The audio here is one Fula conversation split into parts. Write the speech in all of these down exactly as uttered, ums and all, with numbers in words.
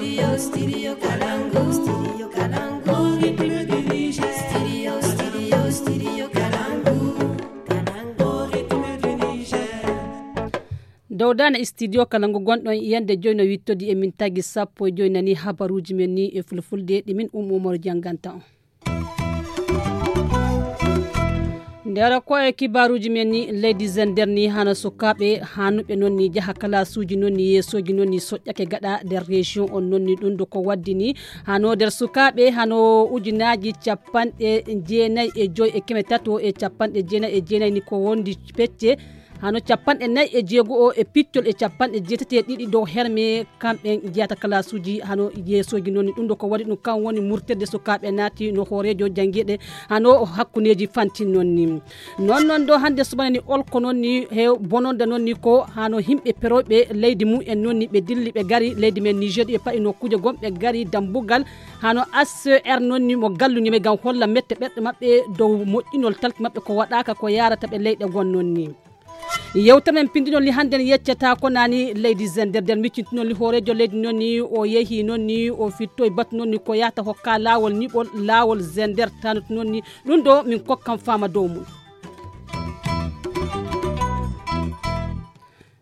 Dow dane studio kala ngo gonɗon yande joyi no wittodi e min tagi sappo e joyi nani habaruuji men ni e fulfulde ɗi min ummo umoro jannganta on. Ndero ko e kibaruuji men ni leydi zender ni hano sukaaɓe hanuɓe noon ni jaha kalasuuji noon ni yeesooji noon ni soƴƴake gaɗa nder région on noon ni ɗum ɗo ko waddini hano nder sukaaɓe hano ujunaaji capanɗe jeenayi e joyi e keme tato e capanɗe jeenayi e jeenayi ni ko wondi pecce hano capanɗe nayi e jeego o e piccol e capanɗe jeetati e ɗiɗi dow herme kamɓe jeyata kalasuuji hano yeesooji noon ni ɗum ɗo ko waɗi ɗum kam woni murterde sukaaɓe naati no hooreejo janngiiɗe hano hakkundeeji fantin noon ni. Noon noon ɗo hannde subana ni olko noon ni he bononda noon ni ko hano yimɓe perooɓe leydi mum en noon ni ɓe dilli ɓe gari leydi men niger ɗi payi nokkuuje gom ɓe gari dambugal hano asser noon ni mo galluñi ɓe ngam holla mette ɓerɗe maɓɓe dow moƴƴinol talki maɓɓe ko waɗaaka ko yarata ɓe leyɗe gon noon ni. Yewtere men pindinol ni hannde en yeccata ko nani leydi zender nder miccintinol ni hooreejo leydi noon ni o yehi noon ni o fittoy batu noon ni ko yahata hokka laawol niɓol laawol zender tanut noon ni ɗum ɗo min kokkan fama dow mum.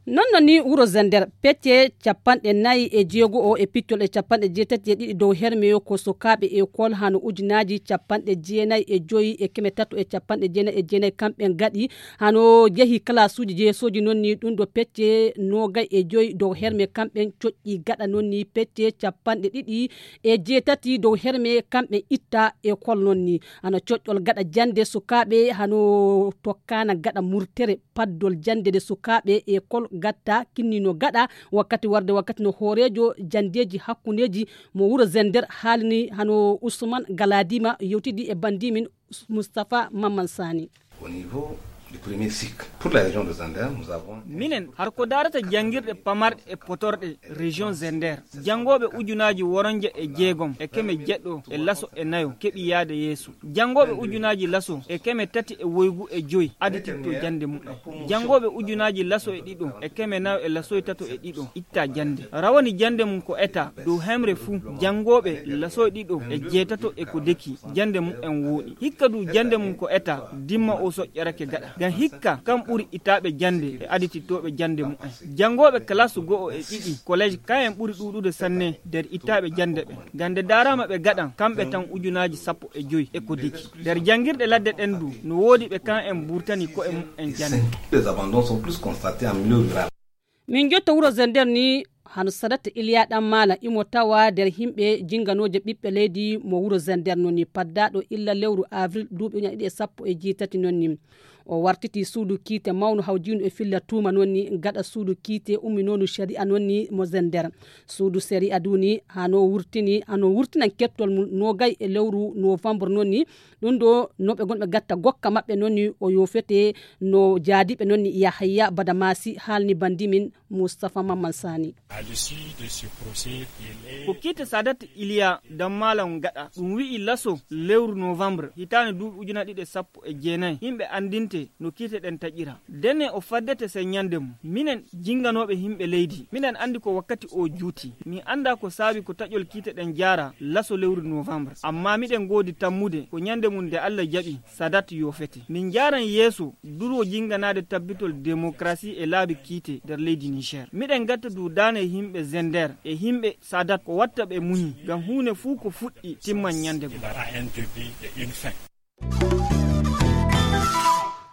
Noon noon ni wuro zender pecce capanɗe nayi e jeego o e piccol e capanɗe jeetati e ɗiɗi dow herme ko sukaaɓe ekol hano ujunaaji capanɗe jeenayi e joyi e keme tato e capanɗe jeenayi e jeenayi kamɓe gaɗi hano jehi kalasuuji jeesooji noon ni ɗum ɗo pecce noogay e joyi dow herme kamɓe coƴƴi gaɗa noon ni pecce capanɗe ɗiɗi e jeetati dow herme kamɓe itta ekol noon ni hano coƴƴol gaɗa jannde sukaaɓe hano tokkana gaɗa murtere paddol jannde nde sukaaɓe ekol gatta kinnino gaɗa wakkati warde wakkati no hooreejo janndeeji hakkundeeji mo wuro zender haalni hano usman galadima yewtidi e bandimin mustapha mamman sani. Au niveau du premier cycle pour la région de zander nous avons minen har ko darata janngirɗe pamarɗe e potorɗe région zender janngooɓe ujunaaji woronje e jeegom e keme jeɗɗo e laso e nayo keɓi yaade yeeso. Janngooɓe ujunaaji laso e keme tati e woygu e joyi adititto jannde mumen. Janngooɓe ujunaaji laso e ɗiɗo e keme nayo e lasoy tato e ɗiɗo itta jannde rawani jannde mum ko eta dow hemre fuu. Janngooɓe lasoy ɗiɗo e jeetato e ko deki jannde mumen wooɗi hikka du jannde mum ko eta dimma o soƴƴorake gaɗa ngam hikka kam ɓuri itaaɓe jannde e aditittooɓe jannde mumen. Janngooɓe kalasu go'o e ɗiɗi kolleej kayen ɓuri ɗuuɗude sanne nder itaaɓe jannde ɓe ngam nde daaraama ɓe gaɗan kamɓe tan ujunaaji sappo e joyi e ko deki nder janngirɗe ladde ɗen du no woodi ɓe kan en mburtani ko'e mumen jannde. Des abandons sont plus constatés en milieu rural. Min jotto wuro zender ni hano sadata iliya ɗan maala imo tawa nder yimɓe jinganooje ɓiɓɓe leydi mo wuro zender noon ni paddaɗo illa lewru avril duuɓi uña ɗiɗi e sappo e jeetati noon ni. O wartiti suudu kiite mawnu hawjindu e filla tuuma noon ni gaɗa suudu kiite umminonu shari'a noon ni mo zender. Suudu shari'a duni hano wurtini hano wurtinan kettol mum nogay e lewru novembre noon ni. Ɗum ɗo noɓe gonɓe gatta gokka maɓɓe noon ni o yofete no jaadiɓe noon ni yahaya badamasi haalni bandimin mustapha mamman sani. Ko kiite sadat iliya dammalan gaɗa ɗum wi'i laso lewru novembre hitaande duuɓi ujuna ɗiɗi e sappo e jeenayi yimɓe anndinte no kiite ɗen taƴira. Dene o faddete sey ñande mum minen jinganooɓe yimɓe leydi miɗen anndi ko wakkati o juuti. Min annda ko saabi ko taƴol kiite ɗen jaara laso lewru novembre amma miɗen ngoodi tammude ko ñande mum nde allah jaɓi sadat yofete min njaaran yeeso duro jinganaade tabbitol démocratie e laabi kiite nder leydi niger miɗen ngatta duudaane e yimɓe zender e yimɓe sadat ko watta ɓe muñi ngam huunde fuu ko fuɗɗi timman ñande goo.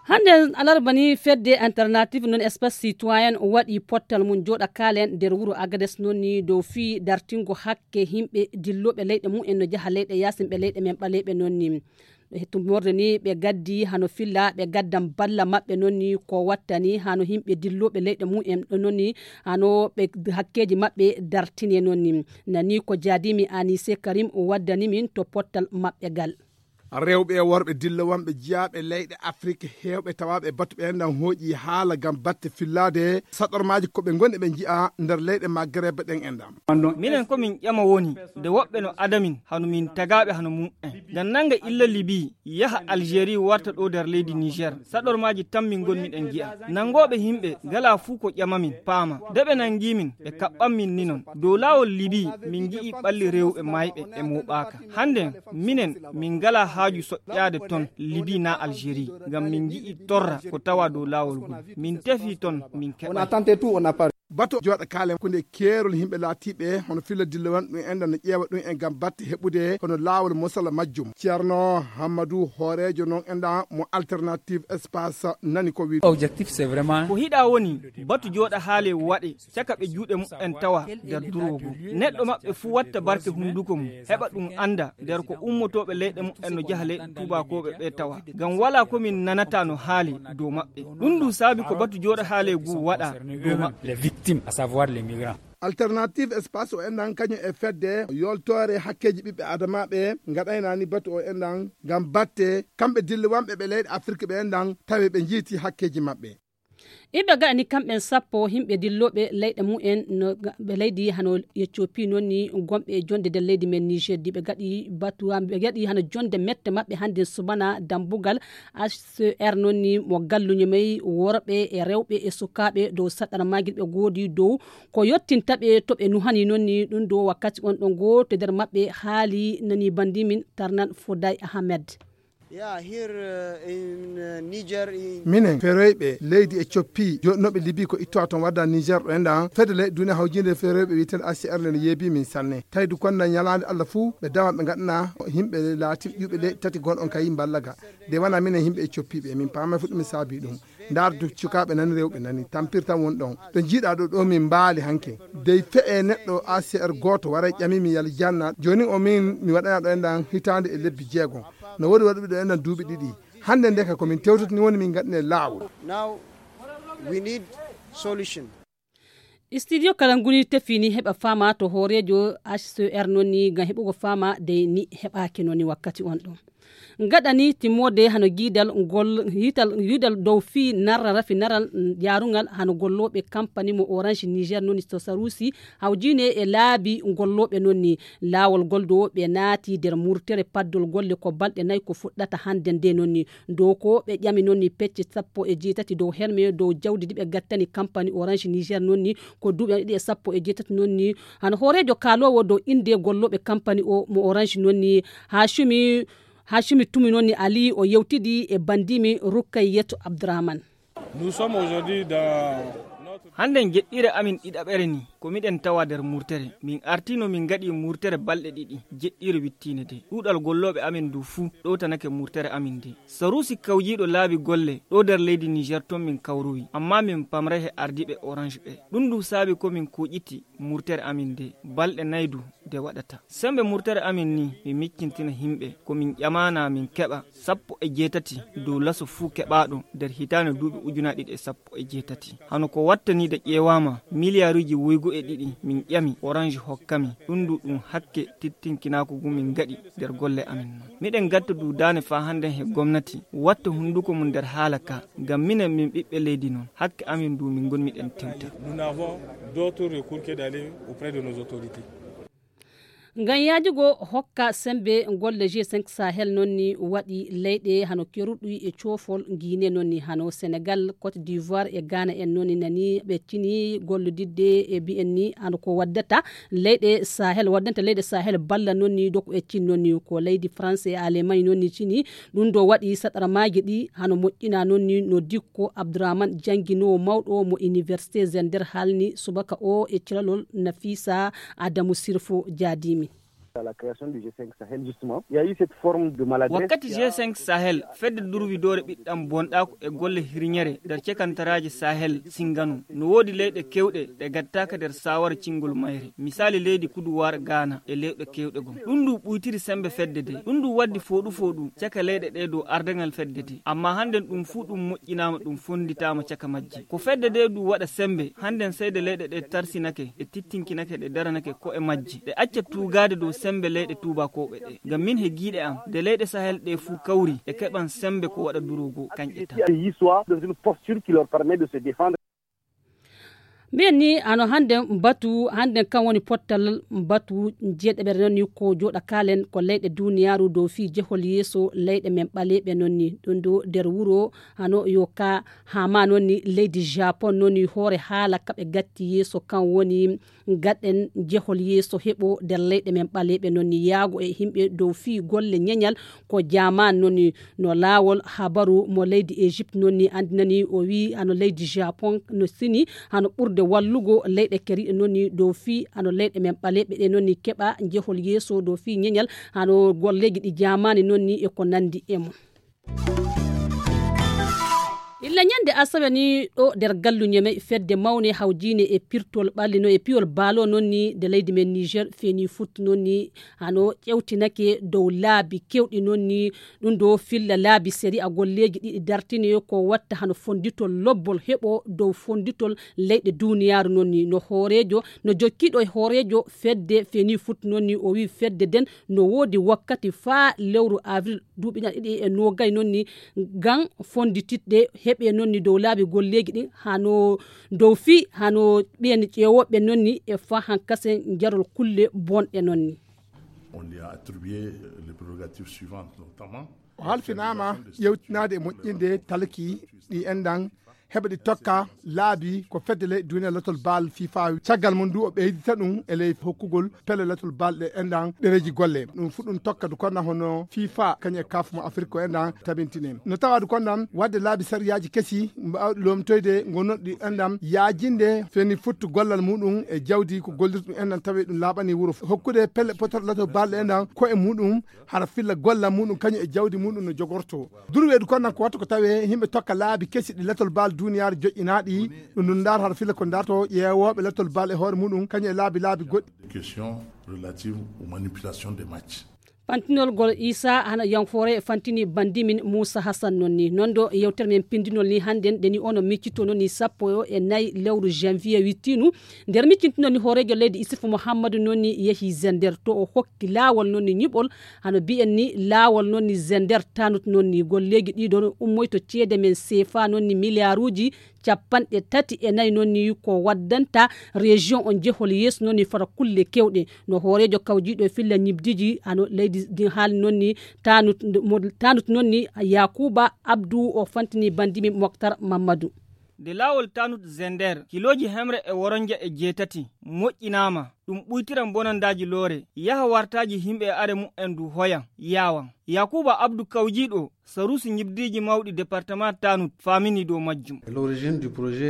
Hannde alarba ni fedde alternative non espace citoyen waɗi pottal mum jooɗa kaalen nder wuro agades noon ni dow fii dartingo hakke yimɓe dillooɓe leyɗe mum en no jaha leyɗe yaasin ɓe leyɗe men ɓaleeɓe noon ni. Tumorde ni ɓe gaddi hano filla ɓe gaddan balla maɓɓe noon ni ko wattani hano yimɓe dillooɓe leyɗe mum en ɗo noon ni hano ɓe hakkeeji maɓɓe dartine noon ni. Nani ko jaadimi anise karim waddani min to pottal maɓɓe gal. Rewɓe e worɓe dillowanɓe jiyaaɓe leyɗe Afrik heewɓe tawaaɓe e batu ɓe enɗan hooƴi haala ngam batte fillaade saɗormaaji ko ɓe ngoni ɓe nji'a nder leyɗe Magreb ɗen enɗan. Minen ko min ƴama woni nde woɓɓe no adamin hano min tagaaɓe hano mum'en. Ngam nannga illa Libi yaha Algérie warta ɗo nder leydi Niger. Saɗormaaji tan min ngon miɗen ngi'a. Nanngooɓe yimɓe ngalaa fuu ko ƴamamin paama. Nde ɓe nanngiimin ɓe kaɓɓanmin ni non. Dow laawol Libi min ngi'ii ɓalli rewɓe maayɓe e mooɓaaka. Hannden minen min ngalaa haaju soƴƴaade ton Libi naa Algérie. Ngam min ngi'ii torra ko tawaa dow laawol ngol. Min tefii ton min keɓay. Batu jooɗa kaale hakkunde keerol yimɓe laatiiɓe hono filla dille won ɗum enɗan no ƴeewa ɗum e ngam batte heɓude hono laawol mosala majjum. Ceerno Hammadou hooreejo noon enɗan mo Alternative Espace nani ko wiide. Objectif c'est vraiment ko hiɗa woni batu jooɗa haale waɗe caka ɓe juuɗe mumen tawa nder durwo goo. Neɗɗo maɓɓe fuu watta barke hunnduko mum heɓa ɗum annda nder ko ummotooɓe leyɗe mumen no njaha leyɗe tuubakooɓe ɓe tawa. Ngam walaa ko min nanata no haali dow maɓɓe. Ɗum ndu saabi ko batu jooɗa haale ngu waɗa dow maɓɓe. Les victimes, à savoir les migrants. Alternative Espace o enɗan kañum e fedde yoltoore hakkeeji ɓiɓɓe adamaaɓe ngaɗaynaani batu o enɗan ngam batte kamɓe dillowanɓe ɓe leyɗe Afirka ɓe enɗan tawi ɓe njiiti hakkeeji maɓɓe. Iɓe gaɗani kamɓen sappo yimɓe dillooɓe leyɗe mumen no ɓe leydi hano Ethiopie noon ni gonɓe e jonde nder leydi men Niger ɗi ɓe gaɗi batu ɓe gaɗi hano jonde mette maɓɓe hannde subana dambugal H C R noon ni mo galluño may worɓe e rewɓe e sukaaɓe dow saɗɗara maagil ɓe goodi dow ko yottinta ɓe to ɓe nuhani noon ni ɗum ɗo wakkati on ɗon gooto nder maɓɓe haali nani banndimin Tarnan Foday Ahmed. Minen feroyɓe leydi e coppi joɗɗinoɓe libi ko ittowa toon wadda Niger ɗo enɗan fedde leyɗe duniya hawjinde feroyɓe wiyetende H C R nde no yeebi min sanne tawi du konna ñalaande Allah fuu ɓe dawa ɓe ngaɗana yimɓe laatiɓe ƴuɓe leyɗe tati gon on kayi mballaga de wona minen yimɓe e coppiɓe min paama fuɗɗumi saabi ɗum. Ndaar du cukaaɓe nani rewɓe nani tampir tan woni ɗon ɗo jiiɗa ɗo ɗo min mbaali hanke dey fe'e neɗɗo A C R gooto waray ƴamimi yalla janna jooni o min mi waɗana ɗo enɗan hitaande e lebbi jeegom. No woodi waɗuɓe ɗo enɗan duuɓi ɗiɗi hannde ndeka ko min tewtotani woni min ngaɗine laawol. Studio kala nguni tefini heɓa fama to hooreejo H C R noon ni ngam heɓugo fama dey ni heɓaaki noon ni wakkati on ɗo. Ngaɗani timmoode hano giidal ngol hiital giidal dow fii narra rafi naral jaarungal hano gollooɓe kampani mo Orange Niger noon ni to Sarusi hawjine e laabi gollooɓe noon ni laawol gol dow ɓe naati nder murtere paddol golle ko balɗe nayi ko fuɗɗata hannde nde noon ni dow ko ɓe ƴami noon ni pecce sappo e jeetati dow herme dow jawdi ndi ɓe gattani kampani Orange Niger noon ni ko duuɓi ɗiɗi e sappo e jeetati noon ni hano hooreejo kaaloowo dow innde gollooɓe kampani o mo Orange noon ni Hashimi Hashimi Tumi noon ni Ali o yewtidi e banndimi Rukkayyetu Abdurahman. Hannden jeɗɗire amin ɗiɗaɓere ni ko miɗen tawa nder murtere min artino min ngaɗi murtere balɗe ɗiɗi jeɗɗire wittiinde de ɗuuɗal gollooɓe amin ndu fuu ɗowtanake murtere amin nde. Sarusi kawjiiɗo laabi golle ɗo nder leydi Niger ton min kawrowi amma min pamray he ardiiɓe Orange ɓe ɗum ndu saabi ko min koƴiti murtere amin nde balɗe nayi du nde waɗata. Semmbe murtere amin ni mi miccintina yimɓe ko min ƴamaana min keɓa sappo e jeetati dow laso fuu keɓaaɗo nder hitaande duuɓi ujunaaji ɗiɗi e sappo e jeetati. Hano ko wattaniiɗo ƴeewaama miliyaaruuji woygu e ɗiɗi min ƴami Orange hokkami ɗum ndu ɗum hakke tittinkinaaku ngu min ngaɗi nder golle amin non. Miɗen ngatta duudaani faa hannden he gomnati watta hunnduko mum nder haala ka ngam minen min ɓiɓɓe leydi non hakke amin ndu min ngonmiɗen tewta. Ngam yaajugo hokka semmbe golle G cinq Sahel noon ni waɗi leyɗe hano keruɗi e coofol Guinée noon ni hano Senegal, Côte d'Ivoire e Ghana en noon ni nani ɓe cini gollodidde e mbiyen ni hano ko waddata leyɗe Sahel waddanta leyɗe Sahel balla noon ni doko e cin noon ni ko leydi France e Allemagne noon ni cini. Ɗum ɗo waɗi saɗarmaaji ɗi hano moƴƴina noon ni no dikko Abdourahmane jannginoowo mawɗo mo université Zender haalni subaka o e caralol Nafisa Adamu Sirfo jaadimi. Wakkati G cinq Sahel fedde durwidoore ɓiɗɗam bonɗaako e golle hirñere nder cekantaraaji Sahel singano no woodi leyɗe kewɗe ɗe gattaaka nder saawara cingol mayre misaali leydi kuduwaar Gaana e leyɗe kewɗe gom ɗum ndu ɓuytiri semmbe fedde de ɗum ndu waddi fooɗu fooɗu caka leyɗe ɗe dow ardaŋal fedde de amma hannden ɗum fuu ɗum moƴƴinaama ɗum fonnditaama caka majje ko fedde de ndu waɗa semmbe hannden seyde leyɗe ɗe tarsinake ɗe tittinkinake ɗe daranake ko'e majje ɗe acca tuugaade dow Semmbe leyɗe tuubakooɓe ɗe ngam miin he giiɗe am nde leyɗe sahel ɗe fuu kawri e keɓan semmbe ko waɗa duroogo kañƴe tan. Histoire dans une posture qui leur permet de se défendre. Mbiyen ni hano hannde mbatu hannde kan woni pottal mbatu jeeɗeɓere noon ni ko jooɗa kaalen ko leyɗe duniyaaru dow fii jehol yeeso leyɗe men ɓaleeɓe noon ni ɗum ɗo nder wuro hano yo ka haama noon ni leydi japon noon ni hoore haala kaɓe gatti yeeso kan woni gaɗen jehol yeeso heɓo nder leyɗe men ɓaleeɓe noon ni yaago e yimɓe dow fii golle ñeñal ko jaman noon ni no laawol habaru mo leydi egypte noon ni anndinani o wii hano leydi japon no sini hano ɓurde wallugo leyɗe keriɗe noon ni dow fii hano leyɗe men ɓaleeɓe ɗe noon ni keɓa jehol yeeso dow fii ñeñal hano golleeji ɗi jamani noon ni e ko nanndi e mum. Illa ñande asawe ni ɗo nder gallu ñeme fedde mawne hawjine e pirtol ɓalli no e piyol baalo noon ni nde leydi men niger feeni futti noon ni hano ƴewtinake dow laabi kewɗi noon ni ɗum ɗo filla laabi seri a golleeji ɗiɗi dartine ko watta hano fonditol lobbol heɓo dow fonditol leyɗe duniyaaru noon ni no hooreejo no jokkiiɗo e hooreejo fedde feeni futti noon ni o wii fedde nden no woodi wakkati faa lewru avril duuɓi ɗiɗi e noogay noon ni ngam fondititde heɓe noon ni dow laabi golleeji ɗin hano dow fii hano ɓeen ƴeewooɓe noon ni e faa hankasen jarol kulle bonɗe noon ni. On lui a attribué les prérogatives suivantes, notamment o halfinaama ƴeewtinaade e moƴƴinde talki ɗi enɗan heɓa ɗi tokka laabi ko fedde ley duniya latol baal fifa caggal mum ndu o ɓeydita ɗum e ley hokkugol pelle latol baal ɗe enɗan ɗereji golle ɗum fu ɗum tokka du konna hono fifa kañum e kaf mo afrik ko enɗan tabintine no tawa du konnan wadde laabi sariyaji kesi mbawɗi lomtoyde gonnoɗi enɗan yaajinde feni futtu gollal muɗum e jawdi ko gollirta ɗum enɗan tawi ɗum laaɓani wuro hokkude pelle potoɗe latol baal ɗe enɗan ko e muɗum hara filla gollal muɗum kañum e jawdi muɗum no jogorto durweedu kon nan ko wattu ko tawee yimɓe tokka laabi kesi ɗi latol baal duuniyaaru joƴƴinaaɗi ɗum ɗum ndaar hara filla ko ndaarto ƴeewooɓe latol baal e hoore muɗum kañum e laabi laabi goɗɗi. Question relative aux manipulations des matchs. Fantinol gol isa hana yanfore fantini bandimin moussa hassan noon ni noon ɗo yewtere men pindinol ni hannden ɗeni ono miccito noon ni sappo e nayi lewru janvier wittinu nder miccintinol ni hooreejo leydi isuf mouhammadu noon ni yehi zender to o hokki laawol noon ni ñiɓol hano mbiyen ni laawol noon ni zender tanut noon ni golleeji ɗiɗo no ummoyto ceede men seefa noon ni miliyaaruuji capanɗe tati e nayi noon ni ko waddanta région on jehol yeeso noon ni fota kulle kewɗe no hooreejo kawjiiɗo e filla ñibdiji hano leydi ndin haali noon ni tanut tanut noon ni yakuba abdou o fantini bandimi moktar mamadou. Nde laawol tanut zender kilooji hemre e woronja e jeetati moƴƴinaama ɗum ɓuytiran bonandaaji loore yaha wartaaji yimɓe e are mumen ndu hoyan yaawan. Yakuba abdu kawjiiɗo saruusi ñibdiiji mawɗi departement tanut faamini dow majjum.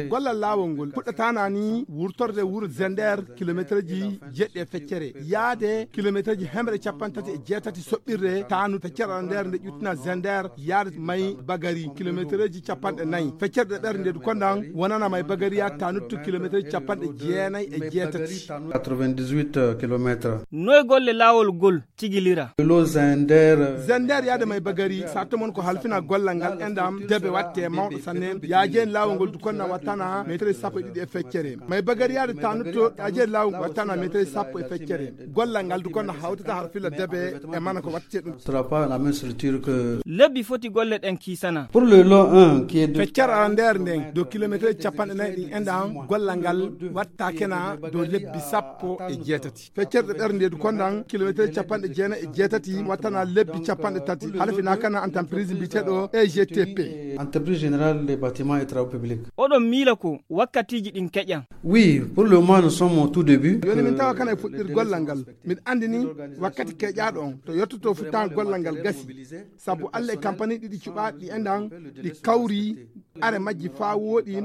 Gollal laawol ngol fuɗɗataana ni wurtorde wuro zender kilomeetreji jeɗɗi e feccere yaade kilomeetreji hemre capanɗe tati e jeetati soɓɓirde tanut feccere nder nde ƴuttina zender yaade may bagari kilomeetreji capanɗe nayi feccere ɗe ɓernde du kondan wonana may bagari yaade tanuttu kilomeetreji capanɗe jeenayi e jeetati. Quatre-vingt-dix-huit kilomètres. Noy golle laawol gol tigilira? Lo zender. Zender yaade may bagari sarto mon ko halfina gollal ngal endam debe watte mawɗo sanne yaajen laawol ngol du konna wattana metre sappo e ɗiɗi e feccere may bagari yaade tanutto yaajen laawol wattana metre sappo e feccere gollal ngal du konna hawtata har fila debe e mana ko watte ɗum. Sera pas la même structure que. Lebbi foti golle ɗen kiisana. Pour le lot un qui est de. Feccere ara nder nden dow kilometre capanɗe nayi ɗin enɗan gollal ngal wattakena dow lebbi sappo e jeetati. Feccere ɓernde du kondan kilometre capanɗe jeenayi e jeetati wattana lebbi capanɗe tati halfina kana entreprise mbiteɗo egtp. Entreprise générale des bâtiments et travaux publics. Oɗon miila ko wakkatiiji ɗin keƴan. Oui, pour le moment nous sommes au tout début. Yoni min tawa kana e fuɗɗir gollal ngal. Miɗa anndi ni wakkati keƴaaɗo on to yottoto futtaango gollal ngal gasi sabu alla e kampani ɗiɗi cuɓaaɗi ɗi enɗan ɗi kawri are majji faa wooɗi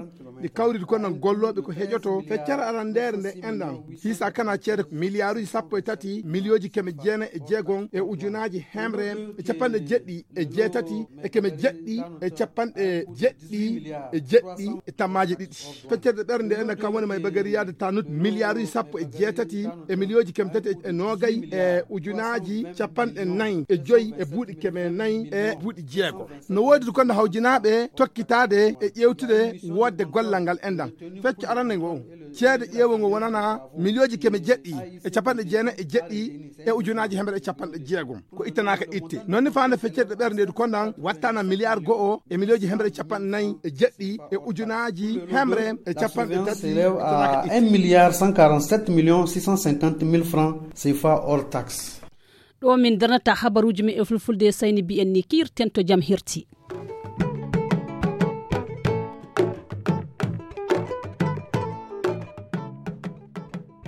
ɗi kawridi kono gollooɓe ko heƴoto feccere arandeere nde enɗan hiisa kana ceede miliyaaruji sappo e tati miliyooji keme jeenayi e jeegon e ujunaaji hemre e capanɗe jeɗɗi e jeetati e keme jeɗɗi e capanɗe jeɗɗi e jeɗɗi e tammaaje ɗiɗi. Feccere ɓernde ene kam woni may bagari yaade tanut miliyaaruji sappo e jeetati e miliyooji keme tati e noogay e ujunaaji capanɗe nayi e joyi e buuɗi keme nayi e buuɗi jeego no woodi du konno hawjinaaɓe tokkitaade. e ƴeewtude woodde gollal ngal enɗan. Fecco arande ngo, ceede ƴeewo ngo wonana miliyooji keme jeɗɗi e capanɗe jeenayi e jeɗɗi e ujunaaji hemre e capanɗe jeegom, ko ittanaaka itte. Noon ni faande feccere ɓerndeedu kondan wattana miliyaar go'o e miliyooji hemre e capanɗe nayi e jeɗɗi e ujunaaji hemre e capanɗe tati, ittanaaka itte. Un milliard cent quarante-sept millions six cent cinquante mille francs C F A hors taxe. Ɗo min darnata habaruuji men e fulfulde, Sayni Bi en ni kiirten to jam herti.